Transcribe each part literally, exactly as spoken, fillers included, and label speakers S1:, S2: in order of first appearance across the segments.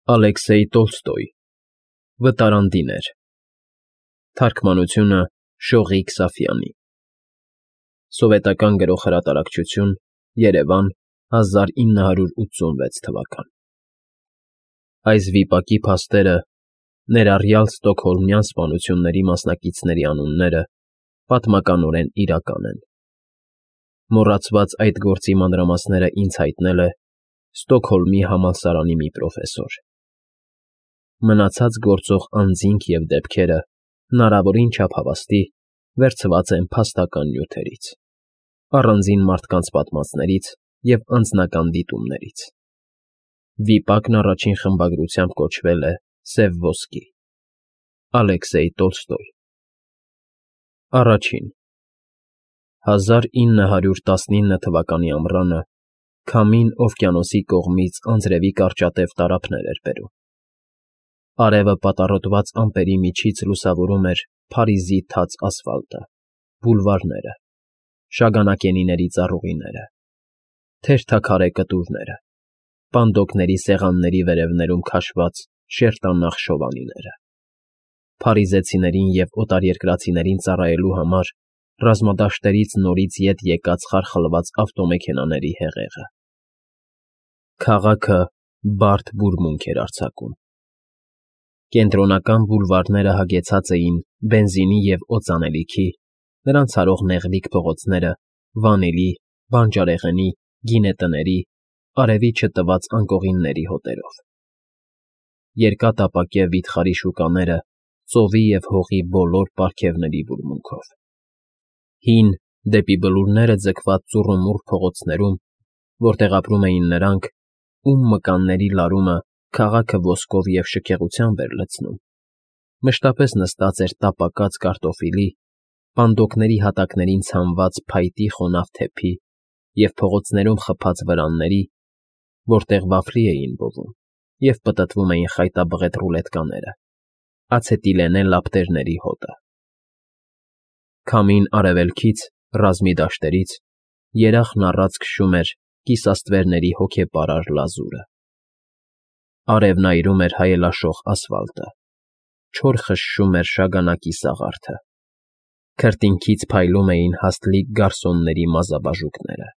S1: Ալեքսեյ Տոլստոյ Վտարանդիներ Թարգմանությունը Շողիկ Սաֆյանի Սովետական Գրողհրատարակչություն Երևան հազար ինը հարյուր ութսունվեց թվական Այս վիպակի փաստերը, ներառյալ ստոկհոլմյան սպանությունների մասնակիցների անունները, պատմականորեն իրական են։ Մոռացված այդ գործի մանրամասները ինձ հայտնել է Ստոկհոլմի համալսարանի մի պրոֆեսոր։ Մնացած գործող անձինք և դեպքերը հնարավորին չափ հավաստի վերցված են փաստական նյութերից, առանձին մարդկանց պատմածներից և անձնական դիտումներից։ Վիպակն առաջին խմբագրությամբ կոչվել է «Սև ոսկի» Ալեքսեյ Տոլստոյ Առաջին հազար ինը հարյուր տասնինը թվականի ամռանը քամին օվկիանոսի կողմից անձրևի կարճատև տարափներ էր բերում։ Արևը պատառոտված ամպերի միջից լուսավորում էր Փարիզի թաց ասֆալտը, բուլվարները, շագանակենիների ծառուղիները, թերթաքարե կտուրները, պանդոկների սեղանների վերևներում քաշված շերտանախ շովանիները, փարիզեցիներին և օտարերկրացիներին ծառայելու համար ռազմադաշտերից նորից ետ եկած խարխլված ավտոմեքենաների հեղեղը։ Քաղաքը բարդ բուրմունք էր արձակում։ Կենտրոնական բուլվարները հագեցած էին բենզինի և օծանելիքի, նրանց հարող նեղլիկ փողոցները վանիլի, բանջարեղենի, գինետների, արևի չտված անկողինների հոտերով։ Երկաթապակե վիթխարի շուկաները ծովի և հողի բոլոր պարգևների բուրմունքով։ Հին, դեպի բլուրները ձգված ծուռումուռ փողոցներում, որտեղ ապրում էին նրանք, ում մկանների լարումը քաղաքը ոսկով և շքեղությամբ էր լցնում, մշտապես նստած էր տապակած կարտոֆիլի, պանդոկների հատակներին ցանված փայտի խոնավ թեփի և փողոցներում խփած վրանների, որտեղ վաֆլի էին բովում և պտտվում էին խայտաբղետ ռուլետկաները, ացետիլենե լապտերների հոտը։ Քամին արևելքից, ռազմի դաշտերից, երախն առած քշում էր կիսաստվերների հոգեպարար լազուրը։ Արևն այրում էր հայելաշող ասֆալտը, չոր խշշում էր շագանակի սաղարթը, քրտինքից փայլում էին հաստլիկ գարսոնների մազաբաժուկները,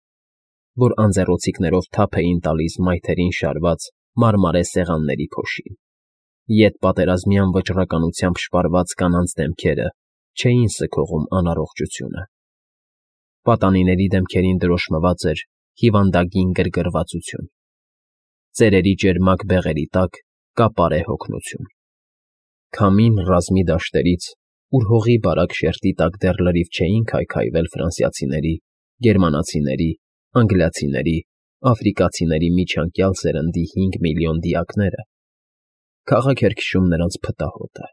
S1: որ անձեռոցիկներով թափ էին տալիս մայթերին շարված մարմարե սեղանների փոշին, ետպատերազմյան վճռականությամբ շպարված կանանց դեմքերը չէին սգողում անառողջությունը։ Պատանիների դեմքերին դրոշմված էր հիվանդագին գրգռվածություն, ծերերի ճերմակ բեղերի տակ կապարե հոգնություն։ Քամին ռազմի դաշտերից, ուր հողի բարակ շերտի տակ դեռ լրիվ չէին քայքայվել ֆրանսիացիների, գերմանացիների, անգլիացիների, աֆրիկացիների միջանկյալ սերնդի հինգ միլիոն դիակները, քաղաք էր քշում նրանց փտահոտը։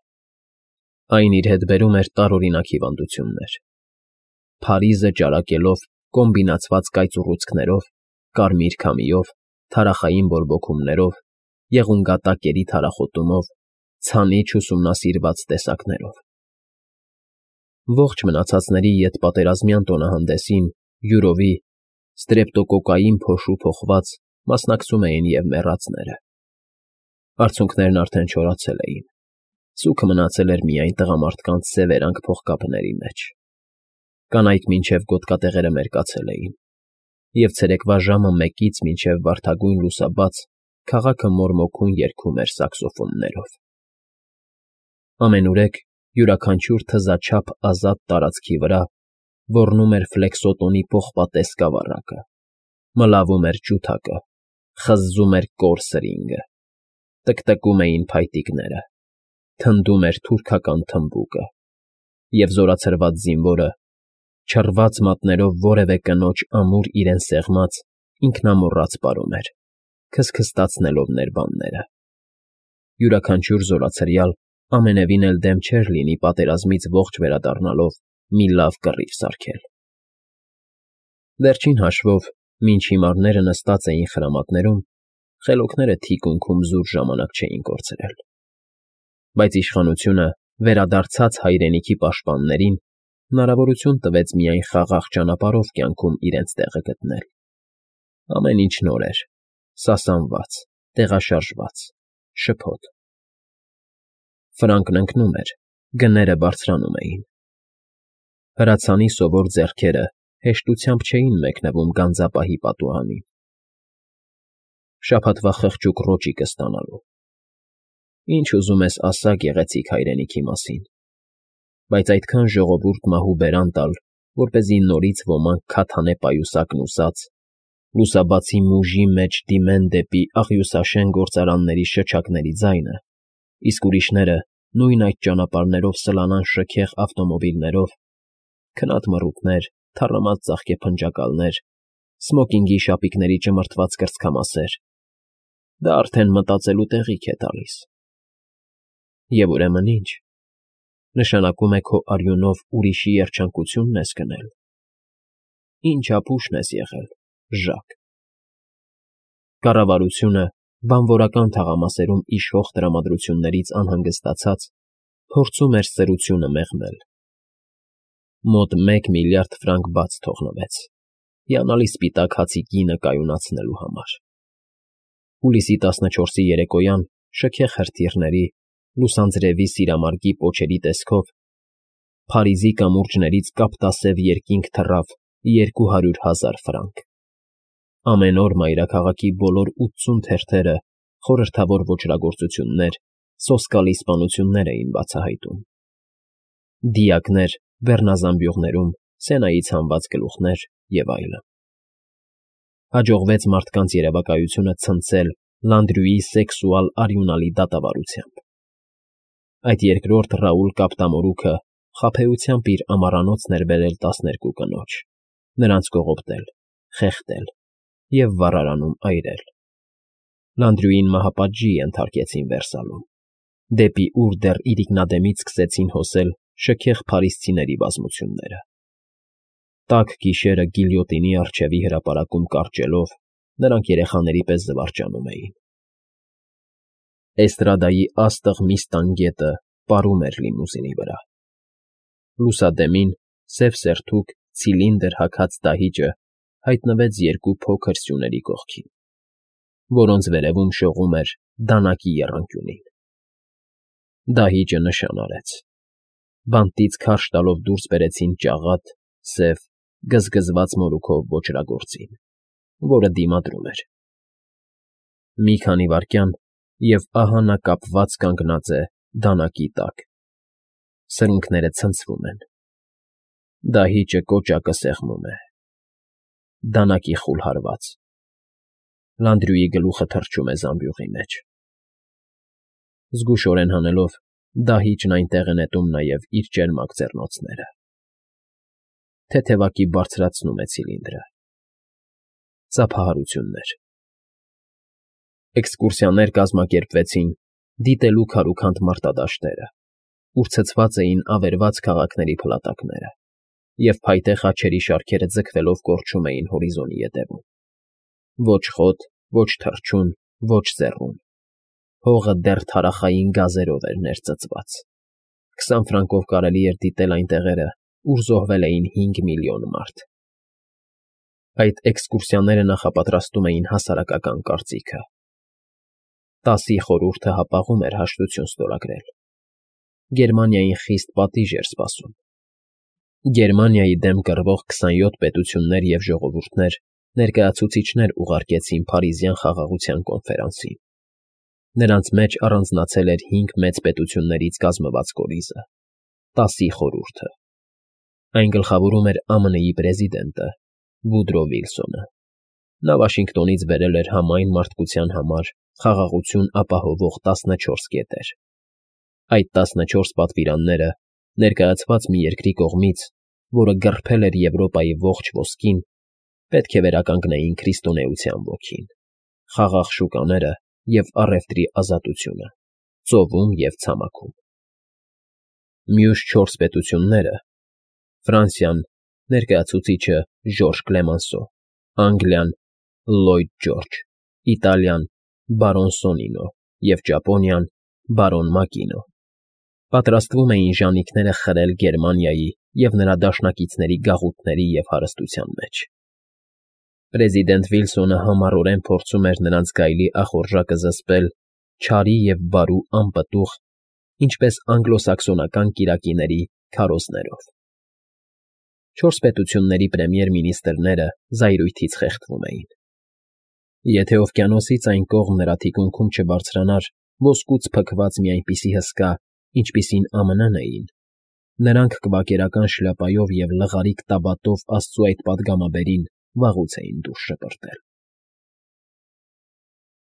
S1: Այն իր հետ բերում էր տարօրինակ հիվանդություններ։ Փարիզը ճարակելով կոմբինացված կայծուռուցքներով, կարմիր քամիով, թարախային բորբոքումներով, եղունգատակերի թարախոտումով, ցանիչ ուսումնասիրված տեսակներով։ Ողջ մնացածների ետպատերազմյան տոնահանդեսին յուրովի, ստրեպտոկոկային փոշու փոխված մասնակցում էին և մեռածները։ Արցունքներն արդեն չորացել էին, սուգը մնացել էր միայն տղամարդկանց սևերանգ փողկապների մեջ։ Կանայք մինչև գոտկատեղերը մերկացել էին, և ցերեկվա ժամը մեկից մինչև վարդագույն լուսաբաց քաղաքը մորմոքուն երգում էր սաքսոֆոններով։ Ամենուրեք յուրաքանչյուր թզաչափ ազատ տարածքի վրա ոռնում էր ֆլեքսոտոնի պողպատե սկավառակը, մլավում էր ջութակը, խզզում էր կոր սրինգը, տկտկում էին փայտիկները, թնդում էր թուրքական թմբուկը, և զորացրված զինվորը, չռված մատներով որևէ կնոջ ամուր իրեն սեղմած, ինքնամոռաց պարում էր, քսքստացնելով ներբանները։ Յուրաքանչյուր զորացրյալ ամենևին էլ դեմ չէր լինի պատերազմից ողջ վերադառնալով մի լավ կռիվ սարքել։ Վերջին հաշվով, մինչ հիմարները նստած էին խրամատներում, խելոքները թիկունքում զուր ժամանակ չէին կորցրել։ Բայց իշխանությունը վերադարձած հայրենիքի պաշտպաններին հնարավորություն տվեց միայն խաղաղ ճանապարհով կյանքում իրենց տեղը գտնել։ Ամեն ինչ նոր էր, սասանված, տեղաշարժված, Շփոթ։ Ֆրանկն ընկնում էր, գները բարձրանում էին։ Հրացանի սովոր ձեռքերը հեշտությամբ չէին մեկնվում գանձապահի պատուհանին։ Շաբաթվա խղճուկ ռոճիկը ստանալու։ Ինչ ուզում ես ասա գեղեցիկ հայրենիքի մասին, բայց այդքան ժողովուրդ մահու բերան տալ, որպեսզի նորից ոմանք քաթանե պայուսակն ուսած, լուսաբացի մուժի մեջ դիմեն դեպի աղյուսաշեն գործարանների շչակների ձայնը, իսկ ուրիշները նույն այդ ճանապարհներով սլանան շքեղ ավտոմոբիլներով, քնած մռութներ, թառամած ծաղկեփնջակալներ, սմոկինգի շապիկների ճմրթված կրծքամասեր, դա արդեն մտածելու տեղիք է տալիս։ Եվ ուրեմն ինչ, նշանակում է քո արյունով ուրիշի երջանկությունն ես գնել։ Ինչ ապուշն ես եղել, Ժակ։ Կառավարությունը, բանվորական թաղամասերում իշխող տրամադրություններից անհանգստացած, փորձում էր սրությունը մեղմել։ Մոտ մեկ միլիարդ ֆրանկ բաց թողնվեց, հիանալի սպիտակ հացի գինը կայունացնելու համար։ Հուլիսի տասնչորսի երեկոյան շքեղ հրթիռների, լուսանձրևի սիրամարգի պոչերի տեսքով Փարիզի կամուրջներից կապտասև երկինք թռավ երկու հարյուր հազար ֆրանկ։ Ամեն օր մայրաքաղաքի բոլոր ութսուն թերթերը խորհրդավոր ոճրագործություններ, սոսկալի սպանություններ էին բացահայտում։ Դիակներ բեռնազամբյուղներում, Սենայից հանված գլուխներ և այլն։ Հաջողվեց մարդկանց երևակայությունը ցնցել Լանդրյուի սեքսուալ արյունալի դատավարությամբ։ Այդ երկրորդ Ռաուլ Կապտամորուքը խաբեությամբ իր ամառանոցն էր բերել տասներկու կնոջ, նրանց կողոպտել, խեղդել և վառարանում այրել։ Լանդրյուին մահապատժի ենթարկեցին Վերսալում, դեպի ուր դեռ իրիկնադեմից սկսեցին հոսել շքեղ փարիզցիների բազմությունները։ Տաք գիշերը գիլյոտինի առջևի հրապարակում կարճելով, նրանք երեխաների պես զվարճանում էին։ Էստրադայի աստղ մի ստանգետը պարում էր լիմուզինի վրա։ Լուսադեմին սև սերթուկ ցիլինդր հագած դահիճը հայտնվեց երկու փոքր սյուների կողքին, որոնց վերևում շողում էր դանակի եռանկյունին։ Դահիճը նշան արեց։ Բանտից քարշ տալով դուրս բերեցին ճաղատ, սև, գզգզված մորուքով ոճրագործին, որը դիմադրում էր։ Մի քանի վայրկյան, և ահա նա կապված կանգնած է դանակի տակ։ Սրունքները ցնցվում են։ Դահիճը կոճակը սեղմում է։ Դանակի խուլ հարված։ Լանդրյուի գլուխը թռչում է զամբյուղի մեջ։ Զգուշորեն հանելով, դահիճն այնտեղ է նետում նաև իր ճերմակ ձեռնոցները։ Թեթևակի բարձրացնում է ցիլինդրը։ Ծափահարություններ։ Էքսկուրսիաներ կազմակերպվեցին դիտելու քարուքանդ մարտադաշտերը, ուր ցցված էին ավերված քաղաքների փլատակները, և փայտե խաչերի շարքերը ձգվելով կորչում էին հորիզոնի ետևում։ Ոչ խոտ, ոչ թռչուն, ոչ ձեռուն։ Հողը դեռ թարախային գազերով էր ներծծված։ Քսան ֆրանկով կարելի էր դիտել այն տեղերը, ուր զոհվել էին հինգ միլիոն մարդ։ Այդ էքսկուրսիաները նախապատրաստում էին հասարակական կարծիքը։ Տասի խորհուրդը հապաղում էր հաշտություն ստորագրել։ Գերմանիային խիստ պատիժ էր սպասում։ Գերմանիայի դեմ կռվող քսանյոթ պետություններ և ժողովուրդներ ներկայացուցիչներ ուղարկեցին Փարիզյան խաղաղության կոնֆերանսին։ Նրանց մեջ առանձնացել էր հինգ մեծ պետություններից կազմված կորիզը՝ Տասի խորհուրդը։ Այն գլխավորում էր Α Մ Ն-ի պրեզիդենտը Վուդրո Վիլսոնը։ Նա Վաշինգտոնից բերել էր համայն մարդկության համար խաղաղություն ապահովող տասնչորս կետեր։ Այդ տասնչորս պատվիրանները, ներկայացված մի երկրի կողմից, որը գռփել էր Եվրոպայի ողջ ոսկին, պետք է վերականգնեին քրիստոնեության ոգին, խաղաղ շուկաները և առևտրի ազատությունը, ծովում և ցամաքում։ Մյուս չորս պետությունները՝ Ֆրանսիան, ներկայացուցիչը Ժորժ Կլեմանսո, Անգլիան՝ Լլոյդ Ջորջը, Իտալիան՝ բարոն Սոնինո և Ճապոնիան՝ բարոն Մակինո, պատրաստվում էին ժանիքները խրել Գերմանիայի և նրա դաշնակիցների գաղութների և հարստության մեջ։ Պրեզիդենտ Վիլսոնը համառորեն փորձում էր նրանց գայլի ախորժակը զսպել չարի և բարու անպտուղ, ինչպես անգլոսաքսոնական կիրակիների քարոզներով։ Չորս պետությունների պրեմիեր֊մինիստրները զայրույթից խեղդվում էին. եթե օվկիանոսից այն կողմ նրա թիկունքում չբարձրանար ոսկուց փքված մի այնպիսի հսկա, ինչպիսին Α M N֊ն էին, նրանք կվակերական շլյապայով և լղարիկ տաբատով աստծու այդ պատգամաբերին վաղուց էին դուրս շպրտել։